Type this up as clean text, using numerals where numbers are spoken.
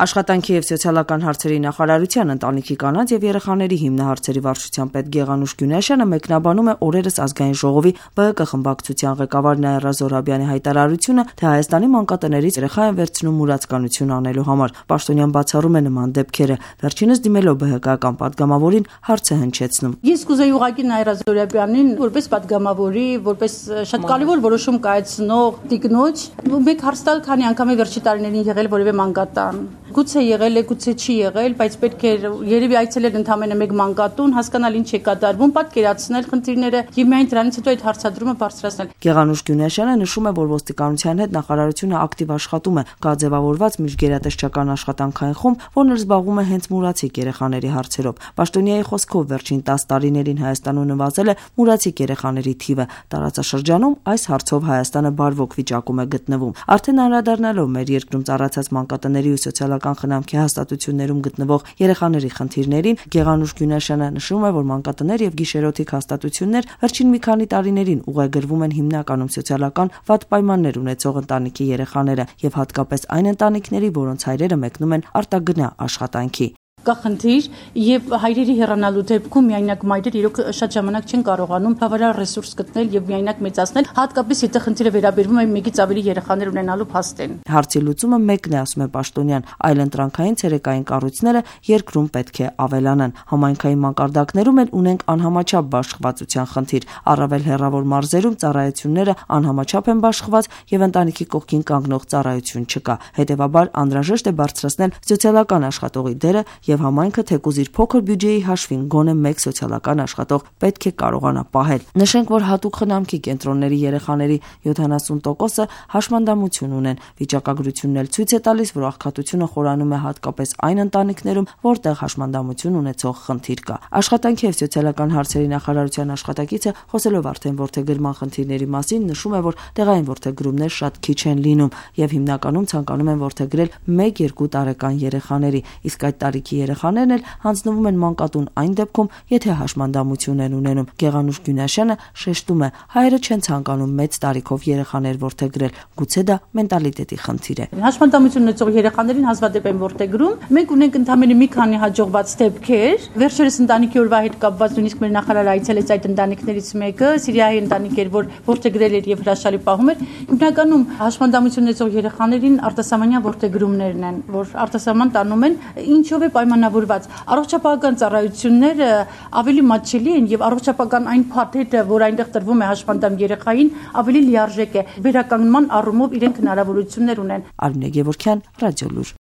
Աշխատանքի եւ սոցիալական հարցերի նախարարության ընտանիքի կանանց եւ երեխաների հիմնահարցերի վարչության պետ Գեղանուշ Գյունեշյանը մեկնաբանում է օրերս ազգային ժողովի ԲՀԿ խմբակցության ղեկավար Նաիրա Զոհրաբյանի հայտարարությունը, թե Հայաստանի մանկատներից երեխա են վերցնում մուրացկանություն անելու համար։ Պաշտոնյան բացառում է նման դեպքերը, վերջինս դիմելով ԲՀԿ-ական падգամավորին հարց է հնչեցնում։ Ես կուզեի ուղղակի Նաիրա Զոհրաբյանին որպես падգամավորի, որպես շատ կարևոր որոշում կայացնող տիկնոջ, մեկ հարց տալ, քանի անգամ է վերջի տարիներին եղել որևէ մանկատան։ Գուցե եղել է, գուցե չի եղել, բայց պետք է երևի այցելել ընդամենը մեկ մանկատուն, հասկանալ ինչ է կատարվում, պատկերացնել խնդիրները եւ միայն դրանից հետո այդ հարցադրումը բարձրացնել։ Գեղանուշ Գյունեշյանը նշում է, որ ոստիկանության հետ նախարարությունը ակտիվ աշխատում է, կա ձևավորված միջգերատեսչական աշխատանքային խումբ, որն զբաղվում է հենց մուրացիկ երեխաների հարցերով։ Պաշտոնյայի խոսքով վերջին 10 տարիներին Հայաստանում նվազել է մուրացիկ երեխաների թիվը։ Տարածաշրջանում այս հարցով Հայաստանը բարվոք վիճակում է գտնվում։ Արդեն անդրադառնալով մեր երկրում ծառացած մանկատների ու սոցիալական խնամքի հաստատություններում գտնվող երեխաների խնդիրներին, Գեղանուշ Գյունեշյանը նշում է, որ մանկատներ եւ գիշերօթիկ հաստատություններ վերջին մի քանի տարիներին ուղեգրվում են հիմնականում սոցիալական վատ պայմաններ ունեցող ընտանիքի երեխաները եւ հատկապես այն ընտանիքների, որոնց հայրերը մեկնում են արտագնա աշխատանքի։ Կա խնդիր եւ հայրերի հեռանալու դեպքում միայնակ մայրեր իրոք շատ ժամանակ չեն կարողանում բավարար ռեսուրս գտնել եւ միայնակ մեծացնել, հատկապես եթե խնդիրը վերաբերվում է մեկից ավելի երեխաներ ունենալու փաստին։ Հարցի լուծումը մեկն է, ասում է պաշտոնյան, այլ ընտրանքային ցերեկային կառույցները երկրում պետք է ավելանան։ Համայնքային մակարդակներում էլ ունենք անհամաչափ բաշխվածության խնդիր, առավել հեռավոր մարզերում ծառայությունները անհամաչափ են բաշխված եւ ընտանիքի կողքին կանգնող ծառայություն չկա։ Հետեւաբար անհրաժեշտ է բարձրացնել սոցիալական աշխատողի դերը եւ համայնքը թեկուզ իր փոքր բյուջեի հաշվին գոնե մեկ սոցիալական աշխատող պետք է կարողանա պահել։ Նշենք, որ հատուկ խնամքի կենտրոնների երեխաների 70%-ը հաշմանդամություն ունեն։ Վիճակագրությունն էլ ցույց է տալիս, որ աղքատությունը խորանում է հատկապես այն ընտանիքներում, որտեղ հաշմանդամություն ունեցող խնդիր կա։ Աշխատանքի եւ սոցիալական հարցերի նախարարության աշխատակիցը խոսելով արդեն որդեգրման խնդիրների մասին նշում է, որ տեղային որդեգրումներ շատ քիչ են լինում եւ հիմնականում ցանկանում են որդեգրել 1-2 տարեկան երեխաների, իսկ այդ տարիքի երեխաներն էլ հանձնվում են մանկատուն այն դեպքում, եթե հաշմանդամություն են ունենում։ Գեղանուշ Գյունեշյանը շեշտում է, հայերը չեն ցանկանում մեծ տարիքով երեխաներ որդեգրել, գուցե դա մենտալիտետի խնդիր է։ Հաշմանդամություն ունեցող երեխաներին հազվադեպ են որդեգրում։ Մենք ունենք ընդամենը մի քանի հաջողված դեպքեր։ Վերջերս ընտանիքի օրվա հետ կապված նույնիսկ մեր նախարարը այցելեց այդ ընտանիքներից մեկը, Սիրիայի ընտանիք էր, որ որդեգրել էր եւ հրաշալի պահում էր։ Հիմնականում հաշմանդամություն ունեցող երեխաներին արտասահմանյան որդեգրումներն են, որ արտասահման տանում են, ինչով է պայմանավորված։ Առողջապահական ծառայությունները ավելի մատչելի են եւ առողջապահական այն փաթեթը, որ այնտեղ տրվում է հաշմանդամ երեխային, ավելի լիարժեք է։ Վերականգնման առումով իրենք հնարավորություններ ունեն։ Արմինե Գևորգյան, Ռադիոլուր։